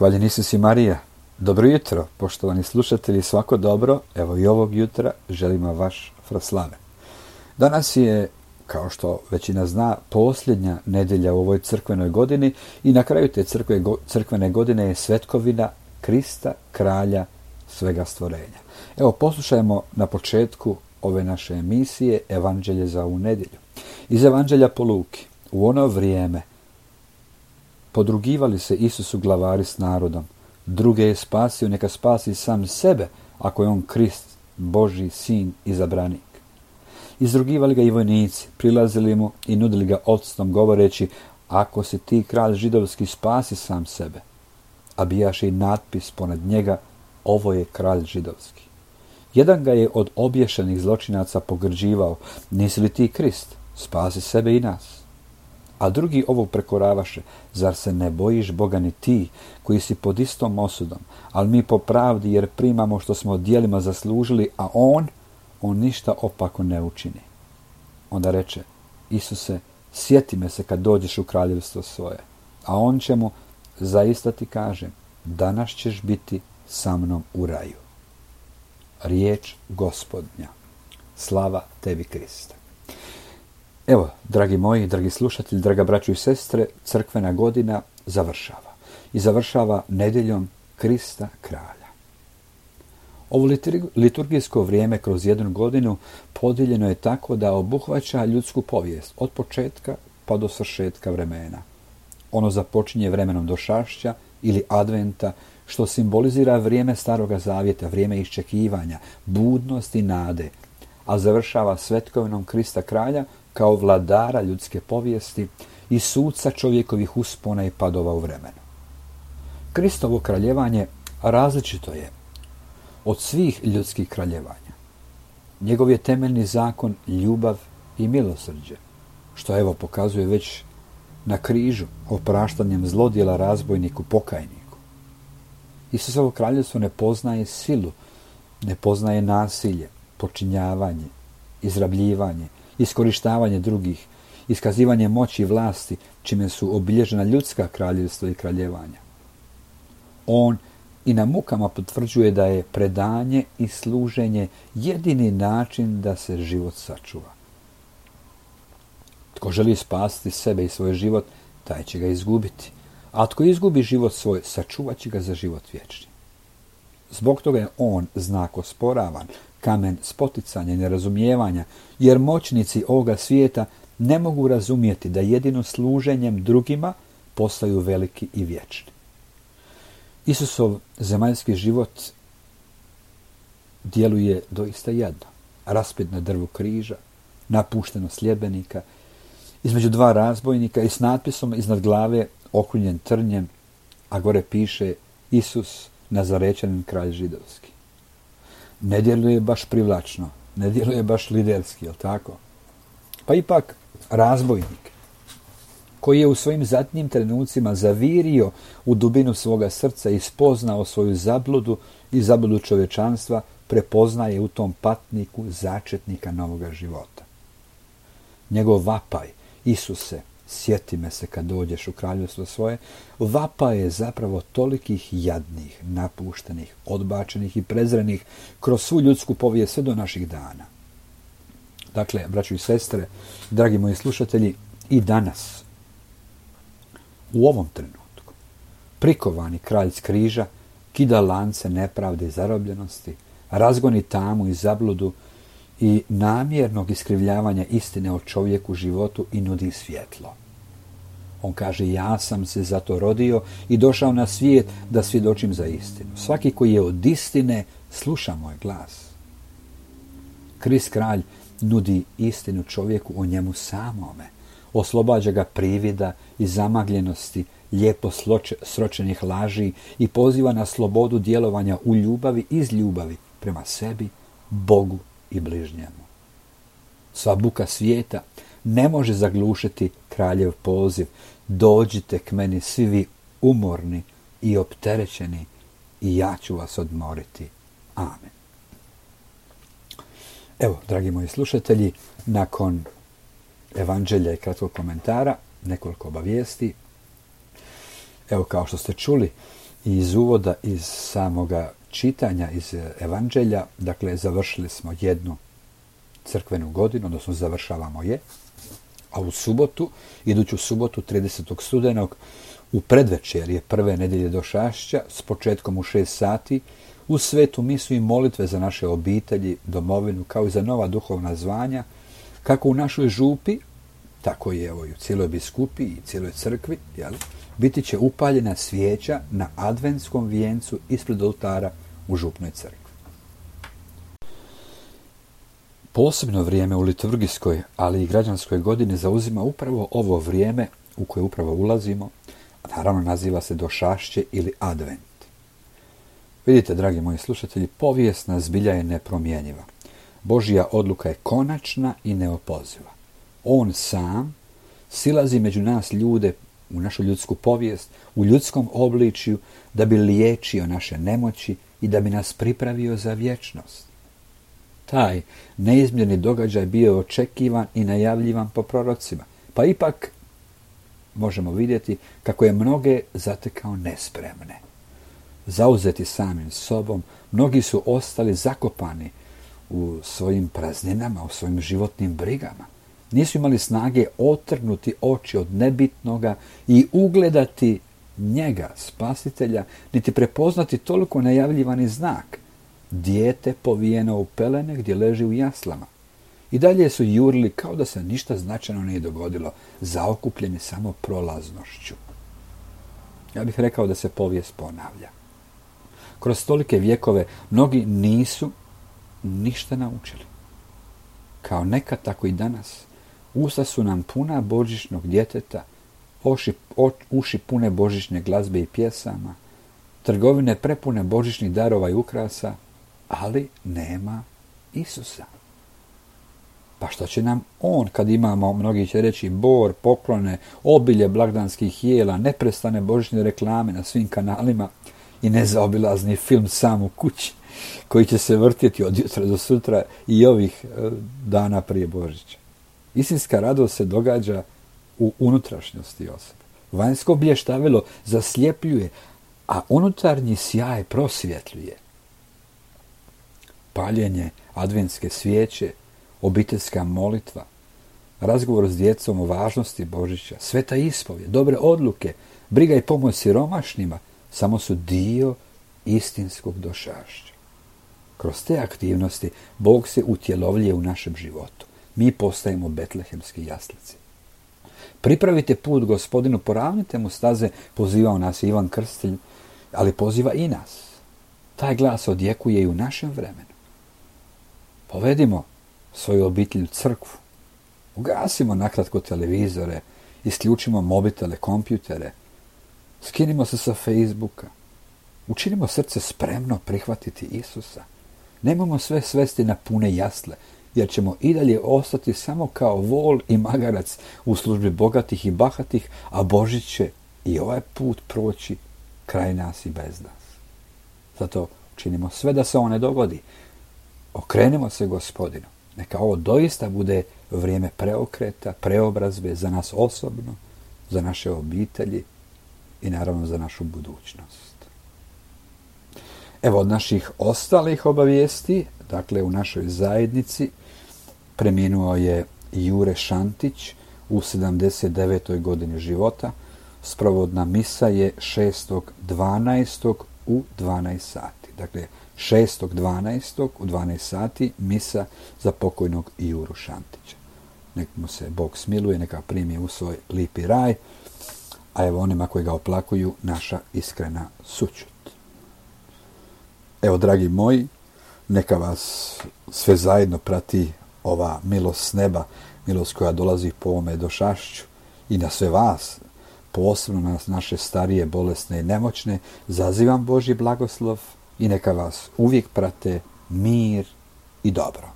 Hvaljen Isus i Marija. Dobro jutro, poštovani slušatelji, svako dobro. Evo i ovog jutra želimo vaš Fraslave. Danas je, kao što većina zna, posljednja nedjelja u ovoj crkvenoj godini i na kraju te crkvene godine je svetkovina Krista, kralja svega stvorenja. Evo, poslušajmo na početku ove naše emisije Evanđelje za ovu nedjelju. Iz Evanđelja po Luki. U ono vrijeme podrugivali se Isusu glavari s narodom. Druge je spasio, neka spasi sam sebe, ako je on Krist, Božji sin, izabranik. Izrugivali ga i vojnici, prilazili mu i nudili ga octom, govoreći: ako si ti kralj židovski, spasi sam sebe. A bijaše i natpis ponad njega: ovo je kralj židovski. Jedan ga je od obješenih zločinaca pogrđivao: nisi li ti Krist, spasi sebe i nas. A drugi ovog prekoravaše: zar se ne bojiš Boga ni ti, koji si pod istom osudom, ali mi po pravdi, jer primamo što smo djelima zaslužili, a on ništa opako ne učini. Onda reče: Isuse, sjeti me se kad dođeš u kraljevstvo svoje. A on će mu: zaista ti kažem, danas ćeš biti sa mnom u raju. Riječ Gospodnja. Slava tebi, Kriste. Evo, dragi moji, dragi slušatelji, draga braćo i sestre, crkvena godina završava. I završava nedjeljom Krista kralja. Ovo liturgijsko vrijeme kroz jednu godinu podijeljeno je tako da obuhvaća ljudsku povijest od početka pa do svršetka vremena. Ono započinje vremenom došašća ili adventa, što simbolizira vrijeme Staroga Zavjeta, vrijeme iščekivanja, budnosti i nade, a završava svetkovinom Krista kralja kao vladara ljudske povijesti i suca čovjekovih uspona i padova u vremenu. Kristovo kraljevanje različito je od svih ljudskih kraljevanja. Njegov je temeljni zakon ljubav i milosrđe, što evo pokazuje već na križu opraštanjem zlodjela razbojniku pokajniku. Isusovo kraljevstvo ne poznaje silu, ne poznaje nasilje, počinjavanje, izrabljivanje, iskorištavanje drugih, iskazivanje moći i vlasti, čime su obilježena ljudska kraljevstva i kraljevanja. On i na mukama potvrđuje da je predanje i služenje jedini način da se život sačuva. Tko želi spasiti sebe i svoj život, taj će ga izgubiti. A tko izgubi život svoj, sačuvat će ga za život vječni. Zbog toga je on znak osporavan, kamen spoticanja i nerazumijevanja, jer moćnici ovoga svijeta ne mogu razumjeti da jedino služenjem drugima postaju veliki i vječni. Isusov zemaljski život djeluje doista jadno. Raspet na drvu križa, napušteno sljedbenika, između dva razbojnika i s natpisom iznad glave okrunjen trnjem, a gore piše: Isus, Nazarečanin, kralj židovski. Ne djeluje baš privlačno, ne djeluje baš liderski, jel tako? Pa ipak razbojnik, koji je u svojim zadnjim trenucima zavirio u dubinu svoga srca i spoznao svoju zabludu i zabludu čovječanstva, prepoznaje u tom patniku začetnika novoga života. Njegov vapaj: Isuse, sjeti me se kad dođeš u kraljevstvo svoje, vapaj je zapravo tolikih jadnih, napuštenih, odbačenih i prezrenih kroz svu ljudsku povijest sve do naših dana. Dakle, braćo i sestre, dragi moji slušatelji, i danas, u ovom trenutku, prikovani kralj s križa kida lance nepravde i zarobljenosti, razgoni tamu i zabludu i namjernog iskrivljavanja istine o čovjeku, životu i nudi svjetlo. On kaže: ja sam se zato rodio i došao na svijet da svjedočim za istinu. Svaki koji je od istine sluša moj glas. Krist kralj nudi istinu čovjeku o njemu samome. Oslobađa ga privida i zamagljenosti, lijepo sročenih laži i poziva na slobodu djelovanja u ljubavi, iz ljubavi prema sebi, Bogu i bližnjemu. Sva buka svijeta ne može zaglušiti kraljev poziv: dođite k meni svi vi umorni i opterećeni i ja ću vas odmoriti. Amen. Evo, dragi moji slušatelji, nakon Evanđelja i kratkog komentara, nekoliko obavijesti. Evo, kao što ste čuli, iz uvoda, iz samoga čitanja, iz evanđelja, dakle, završili smo jednu crkvenu godinu, odnosno završavamo je, a u subotu, iduću subotu, 30. studenog, u predvečerje prve nedjelje Došašća, s početkom u 6 sati, u svetu misu i molitve za naše obitelji, domovinu, kao i za nova duhovna zvanja, kako u našoj župi, tako je i u cijeloj biskupiji i cijeloj crkvi, biti će upaljena svijeća na adventskom vijencu ispred oltara u župnoj crkvi. Posebno vrijeme u liturgijskoj, ali i građanskoj godini zauzima upravo ovo vrijeme u koje upravo ulazimo, a naravno naziva se Došašće ili Advent. Vidite, dragi moji slušatelji, povijesna zbilja je nepromjenjiva. Božja odluka je konačna i neopoziva. On sam silazi među nas ljude, u našu ljudsku povijest, u ljudskom obličju, da bi liječio naše nemoći i da bi nas pripravio za vječnost. Taj neizmjerni događaj bio je očekivan i najavljivan po prorocima, pa ipak možemo vidjeti kako je mnoge zatekao nespremne. Zauzeti samim sobom, mnogi su ostali zakopani u svojim prazninama, u svojim životnim brigama. Nisu imali snage otrgnuti oči od nebitnoga i ugledati njega, spasitelja, niti prepoznati toliko najavljivani znak. Dijete povijeno u pelene gdje leži u jaslama. I dalje su jurili kao da se ništa značajno nije dogodilo, zaokupljeni samo prolaznošću. Ja bih rekao da se povijest ponavlja. Kroz tolike vjekove mnogi nisu ništa naučili. Kao nekad, tako i danas. Usta su nam puna božićnog djeteta, uši pune božićne glazbe i pjesama, trgovine prepune božićnih darova i ukrasa, ali nema Isusa. Pa što će nam on, kad imamo, mnogi će reći, bor, poklone, obilje blagdanskih jela, neprestane božićne reklame na svim kanalima i nezaobilazni film Sam u kući, koji će se vrtjeti od jutra do sutra i ovih dana prije Božića. Istinska radost se događa u unutrašnjosti osobe. Vanjsko blještavilo zasljepljuje, a unutarnji sjaj prosvjetljuje. Paljenje adventske svijeće, obiteljska molitva, razgovor s djecom o važnosti Božića, sveta ispovjed, dobre odluke, briga i pomoć siromašnima samo su dio istinskog došašća. Kroz te aktivnosti Bog se utjelovljuje u našem životu. Mi postajemo betlehemski jaslici. Pripravite put Gospodinu, poravnite mu staze, pozivao nas Ivan Krstitelj, ali poziva i nas. Taj glas odjekuje i u našem vremenu. Povedimo svoju obitelj u crkvu. Ugasimo nakratko televizore, isključimo mobitele, kompjutere, skinimo se sa Facebooka. Učinimo srce spremno prihvatiti Isusa. Nemojmo sve svesti na pune jasle, jer ćemo i dalje ostati samo kao vol i magarac u službi bogatih i bahatih, a Božić će i ovaj put proći kraj nas i bez nas. Zato činimo sve da se ovo ne dogodi. Okrenimo se Gospodinu. Neka ovo doista bude vrijeme preokreta, preobrazbe za nas osobno, za naše obitelji i naravno za našu budućnost. Evo od naših ostalih obavijesti, dakle u našoj zajednici preminuo je Jure Šantić u 79. godini života. Sprovodna misa je 6.12. u 12 sati. Dakle, 6.12. u 12 sati misa za pokojnog Juru Šantića. Nek mu se Bog smiluje, neka primi u svoj lipi raj, a evo onima koji ga oplakuju naša iskrena sućut. Evo, dragi moji, neka vas sve zajedno prati ova milost s neba, milost koja dolazi po ovome došašću i na sve vas, posebno na naše starije, bolesne i nemoćne, zazivam Božji blagoslov i neka vas uvijek prate mir i dobro.